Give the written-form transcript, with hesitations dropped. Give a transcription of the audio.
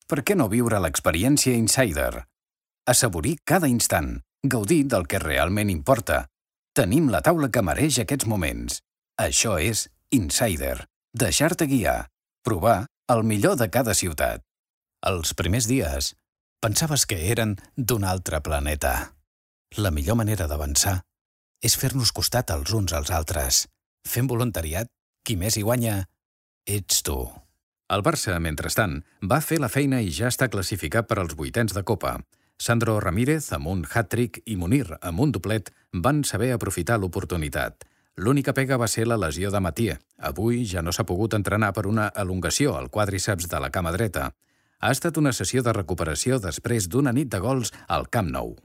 Per què no viure l'experiència Insider? Assaborir cada instant, gaudir del que realment importa. Tenim la taula que mereix aquests moments. Això és Insider. Deixar-te guiar. Provar el millor de cada ciutat. Els primers dies pensaves que eren d'un altre planeta. La millor manera d'avançar és fer-nos costat els uns als altres. Fent voluntariat, qui més hi guanya ets tu. El Barça, mentrestant, va fer la feina i ja està classificat per als vuitens de Copa. Sandro Ramírez, amb un hat-trick, i Munir, amb un doblet, van saber aprofitar l'oportunitat. L'única pega va ser la lesió de Mathieu. Avui ja no s'ha pogut entrenar per una elongació al quàdriceps de la cama dreta. Ha estat una sessió de recuperació després d'una nit de gols al Camp Nou.